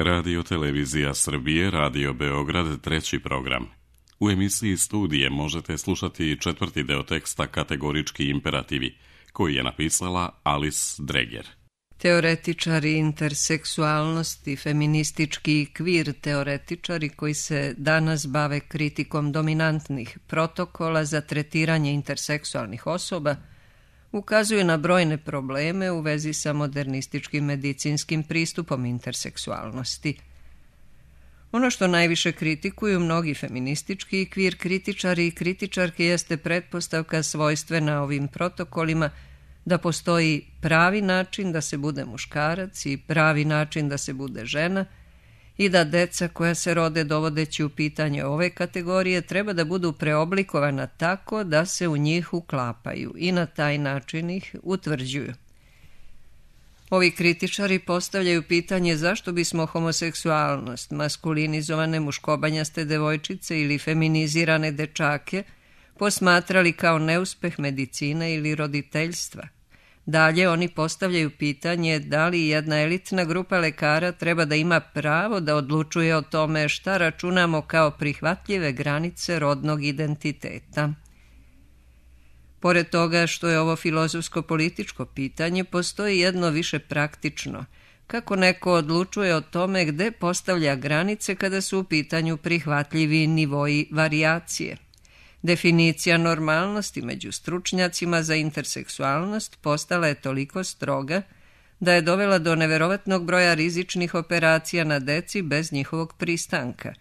Radio Televizija Srbije, Radio Beograd, treći program. U emisiji Studije možete slušati četvrti deo teksta Kategorički imperativi, koji je napisala Alice Dreger. Teoretičari interseksualnosti, feministički i kvir teoretičari koji se danas bave kritikom dominantnih protokola za tretiranje interseksualnih osoba ukazuju na brojne probleme u vezi sa modernističkim medicinskim pristupom interseksualnosti. Ono što najviše kritikuju mnogi feministički i kvir kritičari i kritičarke jeste pretpostavka svojstvena ovim protokolima da postoji pravi način da se bude muškarac i pravi način da se bude žena i da deca koja se rode dovodeći u pitanje ove kategorije treba da budu preoblikovana tako da se u njih uklapaju i na taj način ih utvrđuju. Ovi kritičari postavljaju pitanje zašto bismo homoseksualnost, maskulinizovane muškobanjaste devojčice ili feminizirane dečake posmatrali kao neuspeh medicine ili roditeljstva. Dalje oni postavljaju pitanje da li jedna elitna grupa lekara treba da ima pravo da odlučuje o tome šta računamo kao prihvatljive granice rodnog identiteta. Pored toga što je ovo filozofsko-političko pitanje, postoji jedno više praktično. Kako neko odlučuje o tome gde postavlja granice kada su u pitanju prihvatljivi nivoji varijacije? Definicija normalnosti među stručnjacima za interseksualnost postala je toliko stroga da je dovela do neverovatnog broja rizičnih operacija na deci bez njihovog pristanka.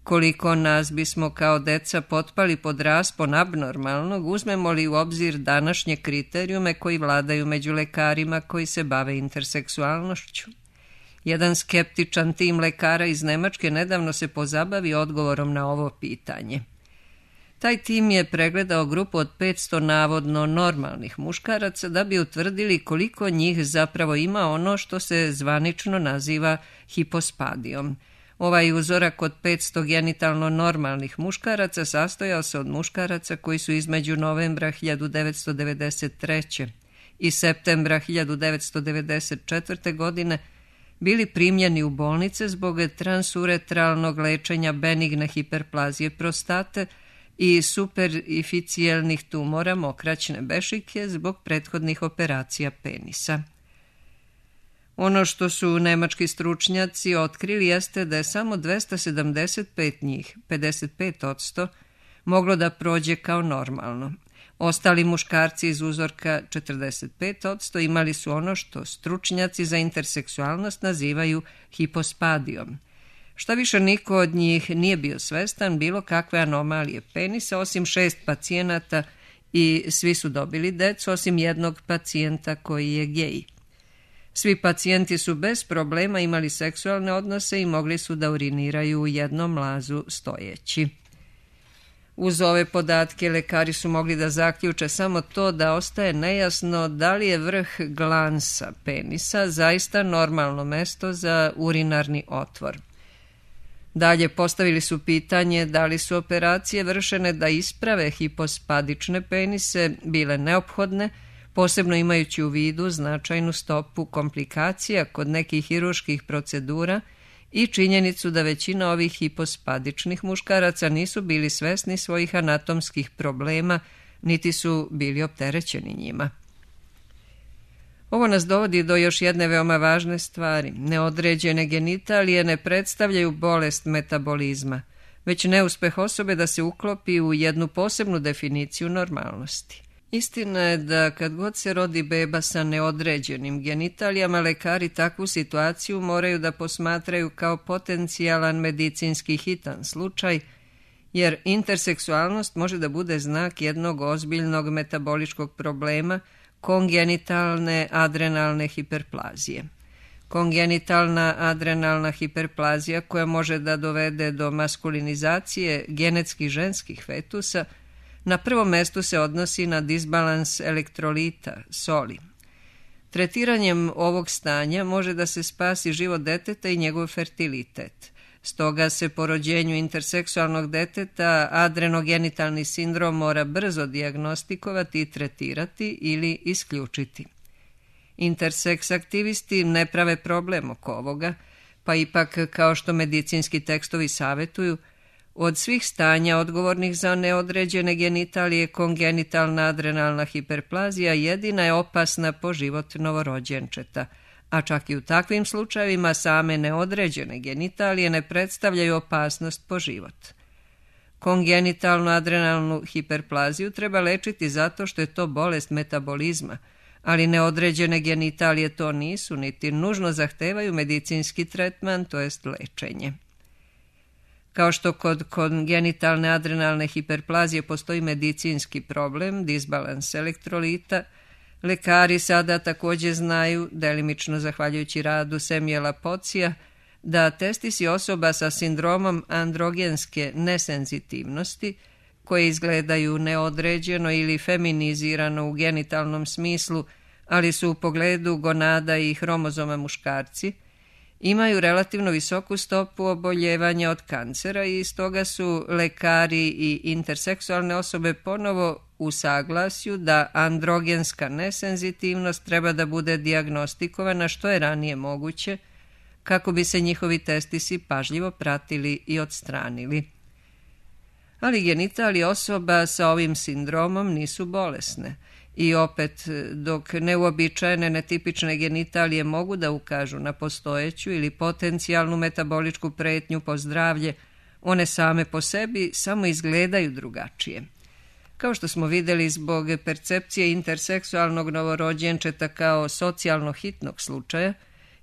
Koliko nas bismo kao deca potpali pod raspon abnormalnog, uzmemo li u obzir današnje kriterijume koji vladaju među lekarima koji se bave interseksualnošću? Jedan skeptičan tim lekara iz Nemačke nedavno se pozabavi odgovorom na ovo pitanje. Taj tim je pregledao grupu od 500 navodno normalnih muškaraca da bi utvrdili koliko njih zapravo ima ono što se zvanično naziva hipospadijom. Ovaj uzorak od 500 genitalno normalnih muškaraca sastojao se od muškaraca koji su između novembra 1993. i septembra 1994. godine bili primljeni u bolnice zbog transuretralnog lečenja benigne hiperplazije prostate i superificijelnih tumora mokraćne bešike zbog prethodnih operacija penisa. Ono što su nemački stručnjaci otkrili jeste da je samo 275 njih, 55%, moglo da prođe kao normalno. Ostali muškarci iz uzorka 45% imali su ono što stručnjaci za interseksualnost nazivaju hipospadijom. Šta više, niko od njih nije bio svestan bilo kakve anomalije penisa, osim 6 pacijenata i svi su dobili decu, osim jednog pacijenta koji je gej. Svi pacijenti su bez problema imali seksualne odnose i mogli su da uriniraju u jednom lazu stojeći. Uz ove podatke lekari su mogli da zaključe samo to da ostaje nejasno da li je vrh glansa penisa zaista normalno mesto za urinarni otvor. Dalje postavili su pitanje da li su operacije vršene da isprave hipospadične penise bile neophodne, posebno imajući u vidu značajnu stopu komplikacija kod nekih hirurških procedura i činjenicu da većina ovih hipospadičnih muškaraca nisu bili svesni svojih anatomskih problema, niti su bili opterećeni njima. Ovo nas dovodi do još jedne veoma važne stvari. Neodređene genitalije ne predstavljaju bolest metabolizma, već neuspeh osobe da se uklopi u jednu posebnu definiciju normalnosti. Istina je da kad god se rodi beba sa neodređenim genitalijama, lekari takvu situaciju moraju da posmatraju kao potencijalan medicinski hitan slučaj, jer interseksualnost može da bude znak jednog ozbiljnog metaboličkog problema, kongenitalne adrenalne hiperplazije. Kongenitalna adrenalna hiperplazija koja može da dovede do maskulinizacije genetski ženskih fetusa na prvom mestu se odnosi na disbalans elektrolita, soli. Tretiranjem ovog stanja može da se spasi život deteta i njegov fertilitet. Stoga se po rođenju interseksualnog deteta adrenogenitalni sindrom mora brzo dijagnostikovati i tretirati ili isključiti. Interseks aktivisti ne prave problem oko ovoga, Pa ipak, kao što medicinski tekstovi savjetuju, od svih stanja odgovornih za neodređene genitalije kongenitalna adrenalna hiperplazija jedina je opasna po život novorođenčeta, a čak i u takvim slučajevima same neodređene genitalije ne predstavljaju opasnost po život. Kongenitalnu adrenalnu hiperplaziju treba lečiti zato što je to bolest metabolizma, ali neodređene genitalije to nisu, niti nužno zahtevaju medicinski tretman, to jest lečenje. Kao što kod kongenitalne adrenalne hiperplazije postoji medicinski problem, disbalans elektrolita, lekari sada također znaju, delimično zahvaljujući radu Samuela Pocija, da testisi osoba sa sindromom androgenske nesenzitivnosti, koje izgledaju neodređeno ili feminizirano u genitalnom smislu, ali su u pogledu gonada i hromozoma muškarci, imaju relativno visoku stopu oboljevanja od kancera i stoga su lekari i interseksualne osobe ponovo u saglasju da androgenska nesenzitivnost treba da bude dijagnostikovana što je ranije moguće, kako bi se njihovi testisi pažljivo pratili i odstranili. Ali genitalije osoba sa ovim sindromom nisu bolesne i opet, dok neuobičajene netipične genitalije mogu da ukažu na postojeću ili potencijalnu metaboličku pretnju po zdravlje, one same po sebi samo izgledaju drugačije. Kao što smo vidjeli, zbog percepcije interseksualnog novorođenčeta kao socijalno hitnog slučaja,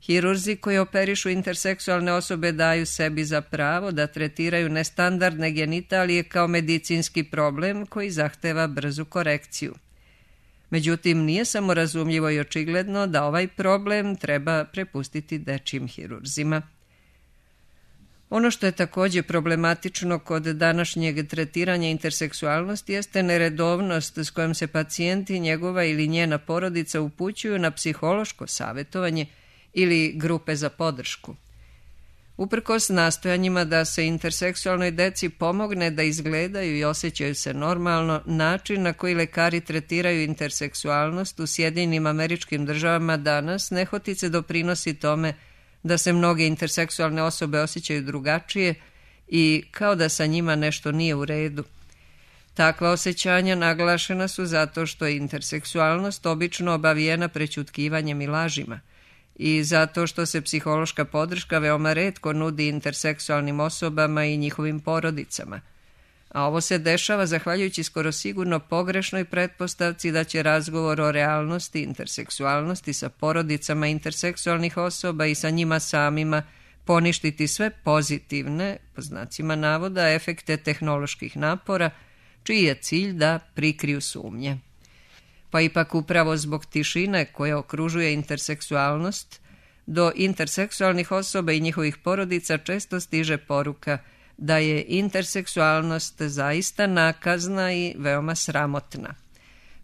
hirurzi koji operišu interseksualne osobe daju sebi za pravo da tretiraju nestandardne genitalije kao medicinski problem koji zahteva brzu korekciju. Međutim, nije samo razumljivo i očigledno da ovaj problem treba prepustiti dečjim hirurzima. Ono što je također problematično kod današnjeg tretiranja interseksualnosti jeste neredovnost s kojom se pacijenti, njegova ili njena porodica upućuju na psihološko savjetovanje ili grupe za podršku. Uprkos nastojanjima da se interseksualnoj deci pomogne da izgledaju i osjećaju se normalno, način na koji lekari tretiraju interseksualnost u Sjedinjenim Američkim Državama danas nehotice doprinosi tome da se mnoge interseksualne osobe osjećaju drugačije i kao da sa njima nešto nije u redu. Takva osjećanja naglašena su zato što je interseksualnost obično obavijena prećutkivanjem i lažima, i zato što se psihološka podrška veoma retko nudi interseksualnim osobama i njihovim porodicama. A ovo se dešava zahvaljujući skoro sigurno pogrešnoj pretpostavci da će razgovor o realnosti interseksualnosti sa porodicama interseksualnih osoba i sa njima samima poništiti sve pozitivne, po znacima navoda, efekte tehnoloških napora, čiji je cilj da prikriju sumnje. Pa ipak upravo zbog tišine koja okružuje interseksualnost, do interseksualnih osoba i njihovih porodica često stiže poruka da je interseksualnost zaista nakazna i veoma sramotna.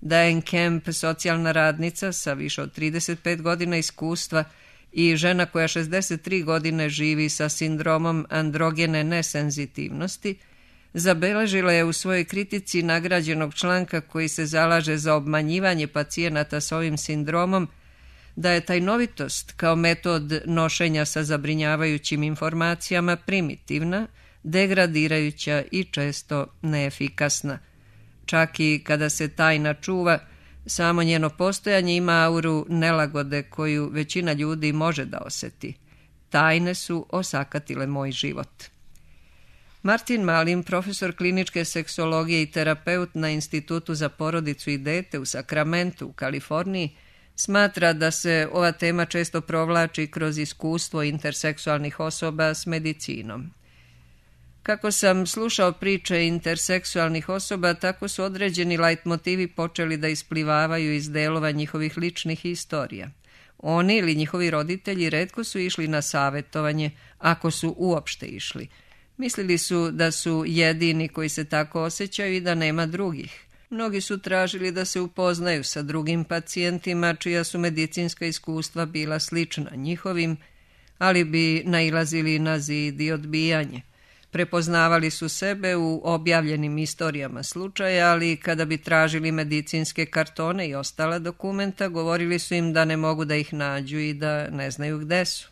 Diane Kemp, socijalna radnica sa više od 35 godina iskustva i žena koja 63 godine živi sa sindromom androgene nesenzitivnosti, zabeležila je u svojoj kritici nagrađenog članka koji se zalaže za obmanjivanje pacijenata s ovim sindromom, da je tajnovitost kao metod nošenja sa zabrinjavajućim informacijama primitivna, degradirajuća i često neefikasna. Čak i kada se tajna čuva, samo njeno postojanje ima auru nelagode koju većina ljudi može da osjeti. Tajne su osakatile moj život. Martin Malin, profesor kliničke seksologije i terapeut na Institutu za porodicu i dete u Sacramentu u Kaliforniji, smatra da se ova tema često provlači kroz iskustvo interseksualnih osoba s medicinom. Kako sam slušao priče interseksualnih osoba, tako su određeni lajtmotivi počeli da isplivavaju iz delova njihovih ličnih historija. Oni ili njihovi roditelji retko su išli na savjetovanje, ako su uopšte išli. Mislili su da su jedini koji se tako osjećaju i da nema drugih. Mnogi su tražili da se upoznaju sa drugim pacijentima čija su medicinska iskustva bila slična njihovim, ali bi nailazili na zid i odbijanje. Prepoznavali su sebe u objavljenim istorijama slučaja, ali kada bi tražili medicinske kartone i ostala dokumenta, govorili su im da ne mogu da ih nađu i da ne znaju gde su.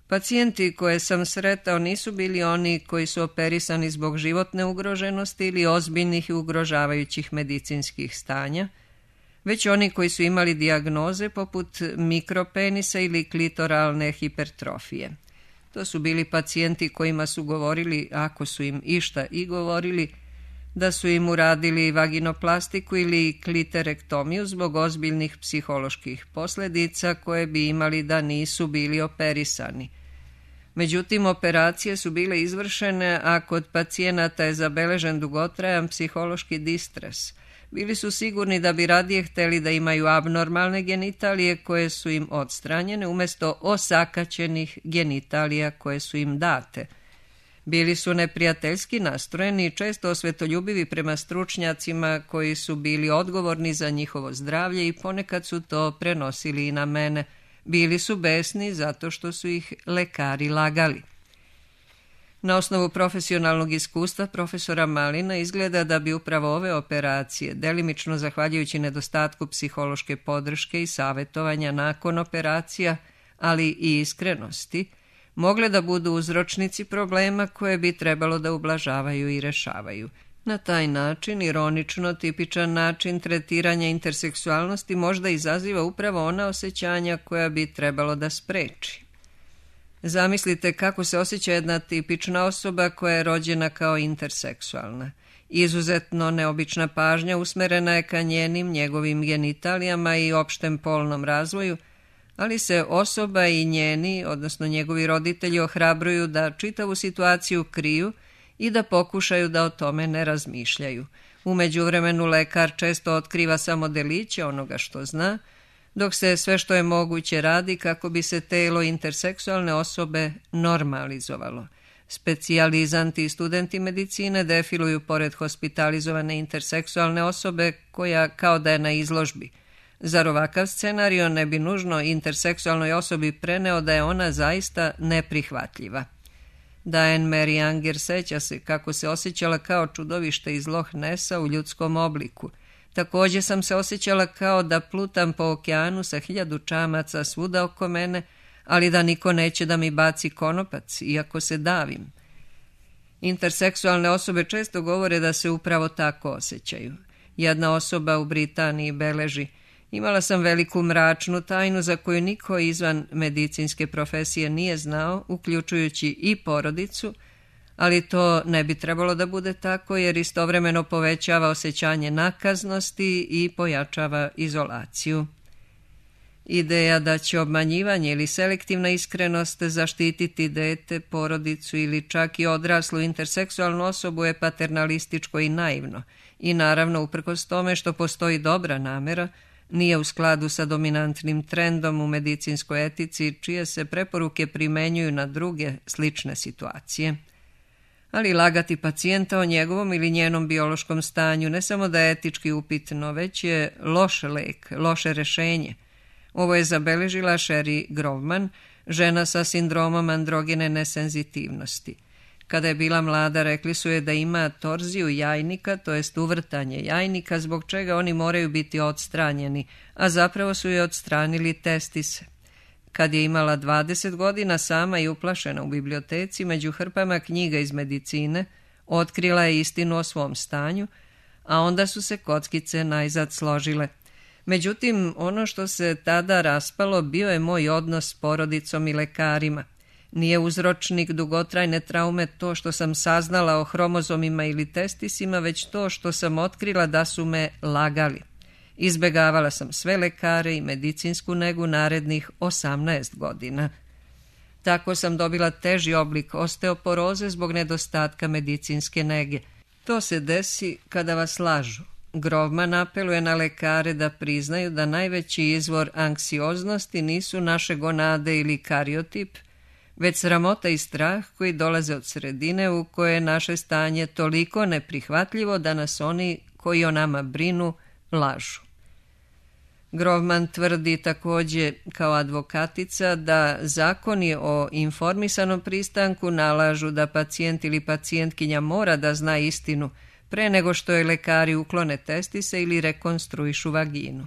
Pacijenti koje sam sretao nisu bili oni koji su operisani zbog životne ugroženosti ili ozbiljnih i ugrožavajućih medicinskih stanja, već oni koji su imali dijagnoze poput mikropenisa ili klitoralne hipertrofije. To su bili pacijenti kojima su govorili, ako su im išta i govorili, da su im uradili vaginoplastiku ili kliterektomiju zbog ozbiljnih psiholoških posljedica koje bi imali da nisu bili operisani. Međutim, operacije su bile izvršene, a kod pacijenata je zabeležen dugotrajan psihološki distres. Bili su sigurni da bi radije htjeli da imaju abnormalne genitalije koje su im odstranjene umjesto osakaćenih genitalija koje su im date. Bili su neprijateljski nastrojeni i često osvetoljubivi prema stručnjacima koji su bili odgovorni za njihovo zdravlje i ponekad su to prenosili i na mene. Bili su besni zato što su ih lekari lagali. Na osnovu profesionalnog iskustva profesora Malina izgleda da bi upravo ove operacije, delimično zahvaljujući nedostatku psihološke podrške i savjetovanja nakon operacija, ali i iskrenosti, mogle da budu uzročnici problema koje bi trebalo da ublažavaju i rešavaju. Na taj način, ironično tipičan način tretiranja interseksualnosti možda izaziva upravo ona osjećanja koja bi trebalo da spreči. Zamislite kako se osjeća jedna tipična osoba koja je rođena kao interseksualna. Izuzetno neobična pažnja usmerena je ka njegovim genitalijama i opštem polnom razvoju, ali se osoba i njeni, odnosno njegovi roditelji, ohrabruju da čitavu situaciju kriju i da pokušaju da o tome ne razmišljaju. U međuvremenu lekar često otkriva samo deliće onoga što zna, dok se sve što je moguće radi kako bi se telo interseksualne osobe normalizovalo. Specijalizanti i studenti medicine defiluju pored hospitalizovane interseksualne osobe koja kao da je na izložbi. Zar ovakav scenario ne bi nužno interseksualnoj osobi preneo da je ona zaista neprihvatljiva? Diane Mary Anger seća se kako se osjećala kao čudovište iz Loch Nessa u ljudskom obliku. Također sam se osjećala kao da plutam po okeanu sa 1000 čamaca svuda oko mene, ali da niko neće da mi baci konopac, iako se davim. Interseksualne osobe često govore da se upravo tako osjećaju. Jedna osoba u Britaniji beleži: imala sam veliku mračnu tajnu za koju niko izvan medicinske profesije nije znao, uključujući i porodicu, ali to ne bi trebalo da bude tako jer istovremeno povećava osjećanje nakaznosti i pojačava izolaciju. Ideja da će obmanjivanje ili selektivna iskrenost zaštititi dete, porodicu ili čak i odraslu interseksualnu osobu je paternalističko i naivno i naravno uprkos tome što postoji dobra namera, nije u skladu sa dominantnim trendom u medicinskoj etici čije se preporuke primenjuju na druge slične situacije. Ali lagati pacijenta o njegovom ili njenom biološkom stanju ne samo da je etički upitno, već je loš lek, loše rešenje. Ovo je zabeležila Sherry Grovman, žena sa sindromom androgene nesenzitivnosti. Kada je bila mlada, rekli su je da ima torziju jajnika, to jest uvrtanje jajnika, zbog čega oni moraju biti odstranjeni, a zapravo su je odstranili testise. Kad je imala 20 godina, sama i uplašena u biblioteci, među hrpama knjiga iz medicine, otkrila je istinu o svom stanju, a onda su se kockice najzad složile. Međutim, ono što se tada raspalo bio je moj odnos s porodicom i lekarima. Nije uzročnik dugotrajne traume to što sam saznala o hromozomima ili testisima, već to što sam otkrila da su me lagali. Izbegavala sam sve lekare i medicinsku negu narednih 18 godina. Tako sam dobila teži oblik osteoporoze zbog nedostatka medicinske nege. To se desi kada vas lažu. Grovman apeluje na lekare da priznaju da najveći izvor anksioznosti nisu naše gonade ili kariotip, već sramota i strah koji dolaze od sredine u kojoj je naše stanje toliko neprihvatljivo da nas oni koji o nama brinu lažu. Grovman tvrdi također kao advokatica da zakoni o informisanom pristanku nalažu da pacijent ili pacijentkinja mora da zna istinu pre nego što je lekari uklone testise ili rekonstruišu vaginu.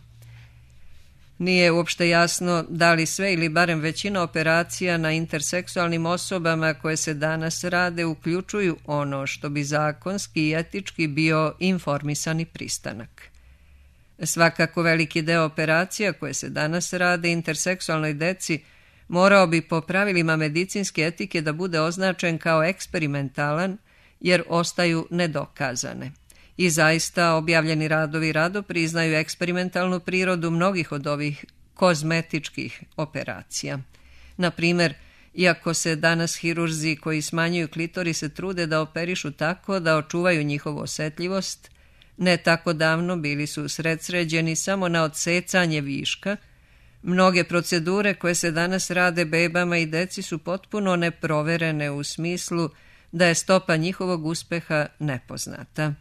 Nije uopšte jasno da li sve ili barem većina operacija na interseksualnim osobama koje se danas rade uključuju ono što bi zakonski i etički bio informisani pristanak. Svakako veliki deo operacija koje se danas rade interseksualnoj deci morao bi po pravilima medicinske etike da bude označen kao eksperimentalan jer ostaju nedokazane. I zaista objavljeni radovi rado priznaju eksperimentalnu prirodu mnogih od ovih kozmetičkih operacija. Na primjer, iako se danas hirurzi koji smanjuju klitorise trude da operišu tako da očuvaju njihovu osetljivost, ne tako davno bili su usredsređeni samo na odsecanje viška. Mnoge procedure koje se danas rade bebama i deci su potpuno neproverene u smislu da je stopa njihovog uspeha nepoznata.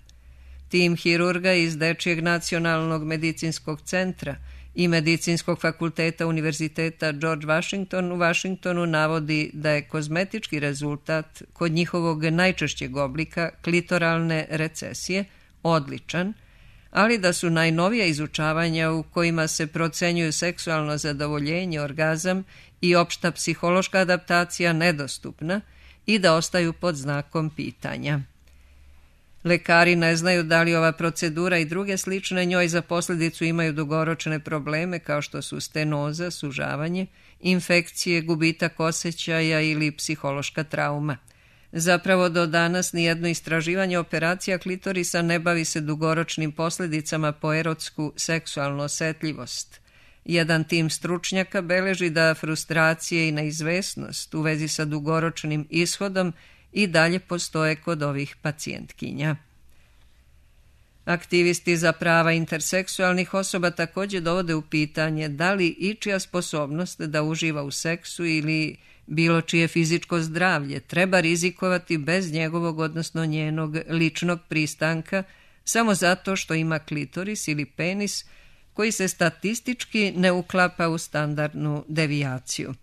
Tim hirurga iz Dečijeg nacionalnog medicinskog centra i Medicinskog fakulteta Univerziteta George Washington u Washingtonu navodi da je kozmetički rezultat kod njihovog najčešćeg oblika klitoralne recesije odličan, ali da su najnovija izučavanja u kojima se procenjuju seksualno zadovoljenje, orgazam i opšta psihološka adaptacija nedostupna i da ostaju pod znakom pitanja. Lekari ne znaju da li ova procedura i druge slične njoj za posljedicu imaju dugoročne probleme kao što su stenoza, sužavanje, infekcije, gubitak osjećaja ili psihološka trauma. Zapravo do danas nijedno istraživanje operacija klitorisa ne bavi se dugoročnim posljedicama po erotsku seksualnu osetljivost. Jedan tim stručnjaka beleži da frustracije i neizvesnost u vezi sa dugoročnim ishodom i dalje postoje kod ovih pacijentkinja. Aktivisti za prava interseksualnih osoba također dovode u pitanje da li ičija sposobnost da uživa u seksu ili bilo čije fizičko zdravlje treba rizikovati bez njegovog, odnosno njenog ličnog pristanka samo zato što ima klitoris ili penis koji se statistički ne uklapa u standardnu devijaciju.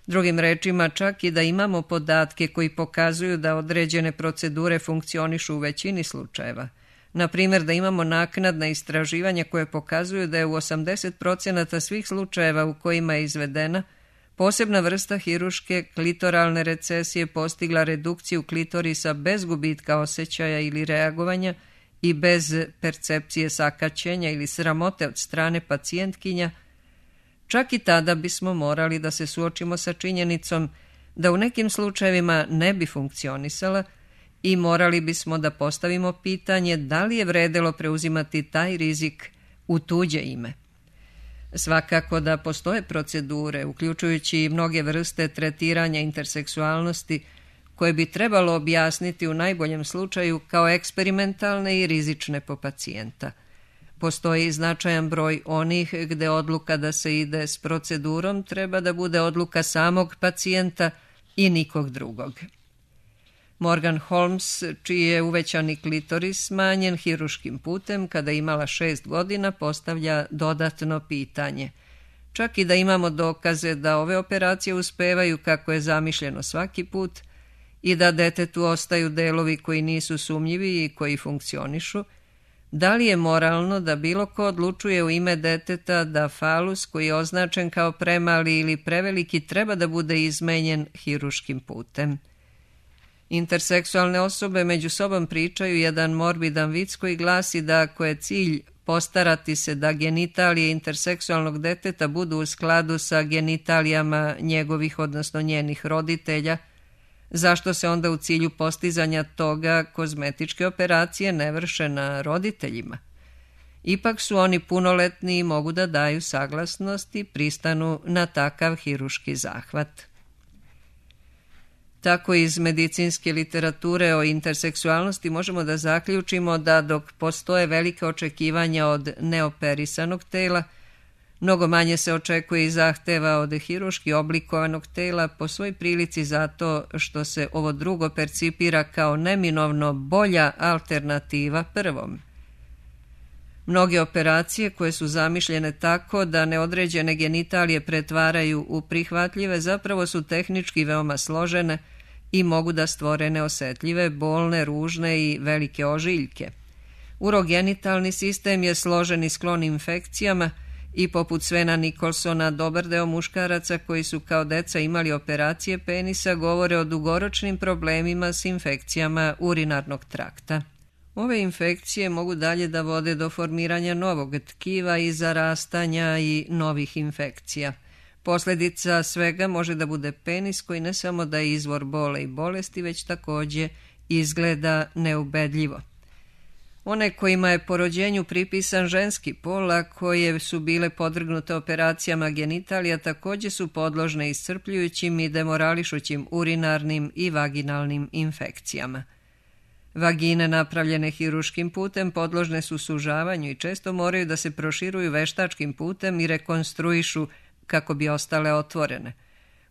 Drugim rečima, čak i da imamo podatke koji pokazuju da određene procedure funkcionišu u većini slučajeva, na primjer da imamo naknadna istraživanja koje pokazuju da je u 80% svih slučajeva u kojima je izvedena posebna vrsta hiruške klitoralne recesije postigla redukciju klitorisa bez gubitka osjećaja ili reagovanja i bez percepcije sakaćenja ili sramote od strane pacijentkinja, čak i tada bismo morali da se suočimo sa činjenicom da u nekim slučajevima ne bi funkcionisala i morali bismo da postavimo pitanje da li je vredelo preuzimati taj rizik u tuđe ime. Svakako da postoje procedure, uključujući i mnoge vrste tretiranja interseksualnosti, koje bi trebalo objasniti u najboljem slučaju kao eksperimentalne i rizične po pacijenta. Postoji značajan broj onih gde odluka da se ide s procedurom treba da bude odluka samog pacijenta i nikog drugog. Morgan Holmes, čiji je uvećani klitoris smanjen hiruškim putem kada je imala 6 godina, postavlja dodatno pitanje. Čak i da imamo dokaze da ove operacije uspevaju kako je zamišljeno svaki put i da detetu ostaju delovi koji nisu sumnjivi i koji funkcionišu, da li je moralno da bilo ko odlučuje u ime deteta da falus koji je označen kao premali ili preveliki treba da bude izmenjen hiruškim putem? Interseksualne osobe među sobom pričaju jedan morbidan vic koji glasi da ako je cilj postarati se da genitalije interseksualnog deteta budu u skladu sa genitalijama njegovih, odnosno njenih roditelja, zašto se onda u cilju postizanja toga kozmetičke operacije ne vrše na roditeljima? Ipak su oni punoletni i mogu da daju saglasnost i pristanu na takav hiruški zahvat. Tako iz medicinske literature o interseksualnosti možemo da zaključimo da dok postoje velike očekivanja od neoperisanog tela, mnogo manje se očekuje i zahteva od hiruški oblikovanog tela po svoj prilici zato što se ovo drugo percipira kao neminovno bolja alternativa prvom. Mnoge operacije koje su zamišljene tako da neodređene genitalije pretvaraju u prihvatljive zapravo su tehnički veoma složene i mogu da stvore neosetljive, bolne, ružne i velike ožiljke. Urogenitalni sistem je složen i sklon infekcijama I poput Svena Nikolsona, dobar deo muškaraca koji su kao deca imali operacije penisa govore o dugoročnim problemima s infekcijama urinarnog trakta. Ove infekcije mogu dalje da vode do formiranja novog tkiva i zarastanja i novih infekcija. Posljedica svega može da bude penis koji ne samo da je izvor bole i bolesti, već također izgleda neubedljivo. One kojima je po rođenju pripisan ženski pol, a koje su bile podvrgnute operacijama genitalija, također su podložne iscrpljujućim i demorališućim urinarnim i vaginalnim infekcijama. Vagine napravljene hiruškim putem podložne su sužavanju i često moraju da se proširuju veštačkim putem i rekonstruišu kako bi ostale otvorene.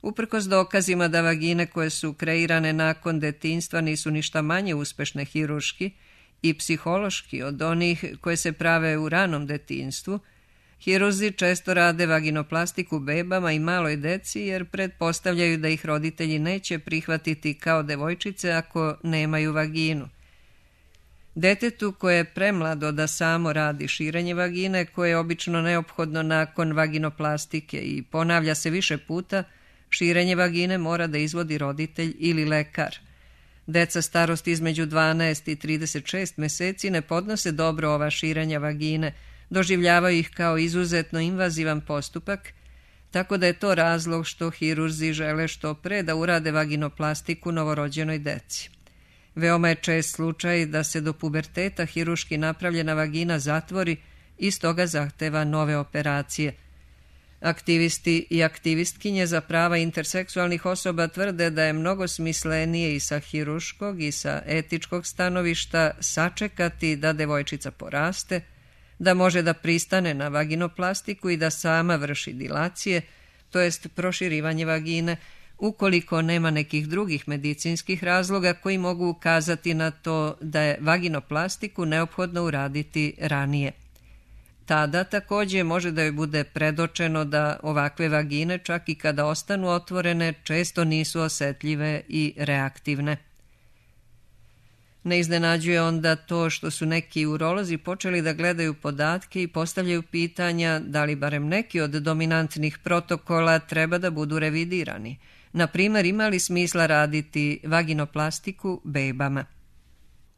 Uprkos dokazima da vagine koje su kreirane nakon detinjstva nisu ništa manje uspešne hiruški i psihološki od onih koje se prave u ranom detinjstvu, hirurzi često rade vaginoplastiku bebama i maloj deci jer pretpostavljaju da ih roditelji neće prihvatiti kao devojčice ako nemaju vaginu. Detetu koje je premlado da samo radi širenje vagine, koje je obično neophodno nakon vaginoplastike i ponavlja se više puta, širenje vagine mora da izvodi roditelj ili lekar. Deca starosti između 12 i 36 meseci ne podnose dobro ova širenja vagine, doživljavaju ih kao izuzetno invazivan postupak, tako da je to razlog što hirurzi žele što pre da urade vaginoplastiku novorođenoj deci. Veoma je čest slučaj da se do puberteta hiruški napravljena vagina zatvori i stoga zahteva nove operacije. Aktivisti i aktivistkinje za prava interseksualnih osoba tvrde da je mnogo smislenije i sa hiruškog i sa etičkog stanovišta sačekati da devojčica poraste, da može da pristane na vaginoplastiku i da sama vrši dilacije, to jest proširivanje vagine, ukoliko nema nekih drugih medicinskih razloga koji mogu ukazati na to da je vaginoplastiku neophodno uraditi ranije. Tada također može da joj bude predočeno da ovakve vagine, čak i kada ostanu otvorene, često nisu osetljive i reaktivne. Ne iznenađuje onda to što su neki urolozi počeli da gledaju podatke i postavljaju pitanja da li barem neki od dominantnih protokola treba da budu revidirani. Na primjer, ima li smisla raditi vaginoplastiku bebama?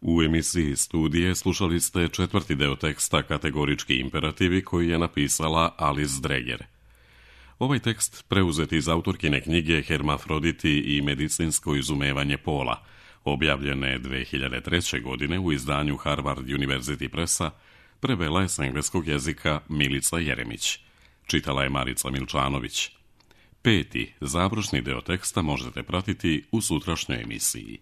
U emisiji Studije slušali ste četvrti deo teksta Kategorički imperativi koji je napisala Alice Dreger. Ovaj tekst preuzet iz autorkine knjige Hermafroditi i medicinsko izumevanje pola, objavljene 2003. godine u izdanju Harvard University Pressa, prevela je s engleskog jezika Milica Jeremić. Čitala je Marica Milčanović. 5. završni deo teksta možete pratiti u sutrašnjoj emisiji.